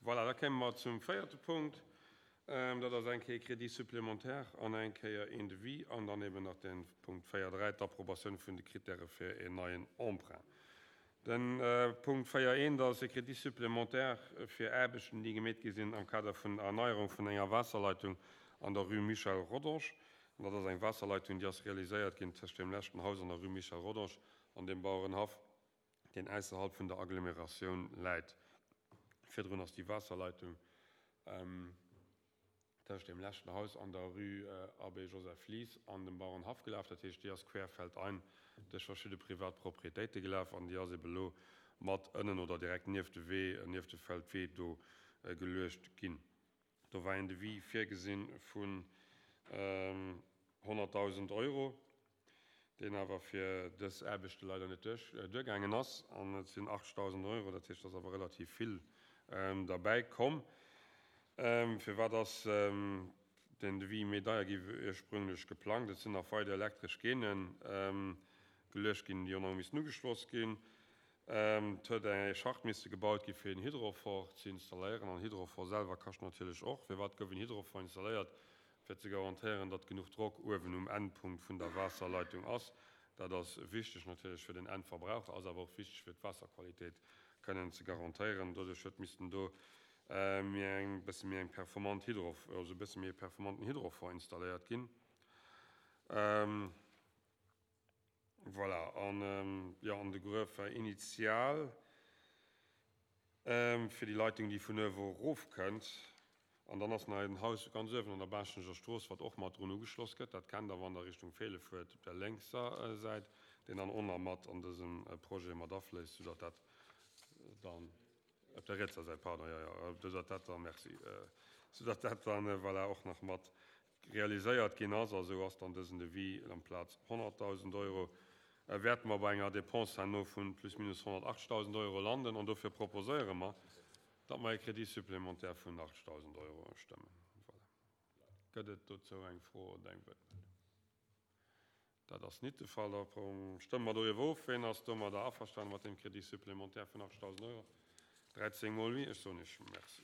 Voilà, da kéime mer zum véierte Punkt. Dat ass eng Kéier Crédit supplémentaire an eng Kéier een Devis an dann eben nach de Punkt 4.3, d'Approbatioun vun de Kritäre fir een neien Emprunt. De Punkt 4.1, dat ass e Crédit supplémentaire fir Aarbechten, déi gemeet gi sinn am Kader vun der Erneierung vun enger Waasserleitung an der Rue Michel Rodange. An dat ass eng Waasserleitung, déi ass realiséiert ginn tëscht deem leschten Haus an der Rue Michel Rodange an dem Bauerenhaff, deen ausserhalb vun der Agglomeratioun läit. Virdrun ass déi Waasserleitung tëscht deem leschten Haus an der Rue Abbé Joseph Lies an dem Bauerenhaff gelaf. Dat heescht, déi ass querfeldein duerch verschidde privat Proprietéite gelaf an déi ass ebe lo mat ënnen oder direkt nieft de Wee, nieft de Feldwee do geluecht ginn. Do war een Devis virgesinn vun 100.000 Euro, deen awer fir dës Aarbechte leider net duergaangen ass. An et sinn 80.000 Euro, dat heescht, et ass awer relativ vill derbäi komm. Firwat ass den Devis méi deier gi wéi ursprünglech geplangt? Et sinn nach weider elektresch Gaine geluecht ginn, déi och nach hu missen ugeschloss ginn. Et huet e Schacht misse gebaut gi fir en Hydrophore ze installéieren. An Hydrophore selwer kascht natierlech och. Firwat gouf en Hydrophore installéiert? Fir ze garantéieren, datt genuch Drock uewen um Endpunkt vun der Waasserleitung ass. Dat ass wichteg natierlech fir den Endverbraucher, ass awer och wichteg fir d'Waasserqualitéit kënnen ze garantéieren. Doduerch huet missten do méi eng, bësse méi eng performant Hydro, also e bësse méi e performanten Hydrophore installéiert ginn. Voilà, an jo, an de Gruef war initial fir déi Leitung, déi vun uewe erofkënnt. An dann ass nach en Haus ganz uewen an der Baaschtnecher Strooss, wat och mat drun ugeschloss gëtt. Dat kennt Der, wann Der Richtung Feele fuert, op der lénkser Säit, deen dann och nach mat an dësem Projet mat afléisst, soudatt dat dann. Op der rietser Säit, pardon, jo, jo, soudatt dat dann, merci, soudatt dat dann, voilà, och nach mat realiséiert ginn ass. A sou ass dann dësen Devis amplaz 100.000 Euro, wäerte mer bei enger Dépense herno vu plus minus 180.000 Euro landen. An dofir proposéiere mer, datt mer e Crédit supplémentaire vun 80.000 Euro stëmmen. Voilà. Gëtt et dozou eng Fro oder eng Wuertmeldung? Dat ass nit de Fall. Da stëmme mer doriwwer of. Ween ass domadder averstanen, mat deem Crédit supplémentaire vun 80.000 Euro? 13 mol oui. Ech soen Iech Merci.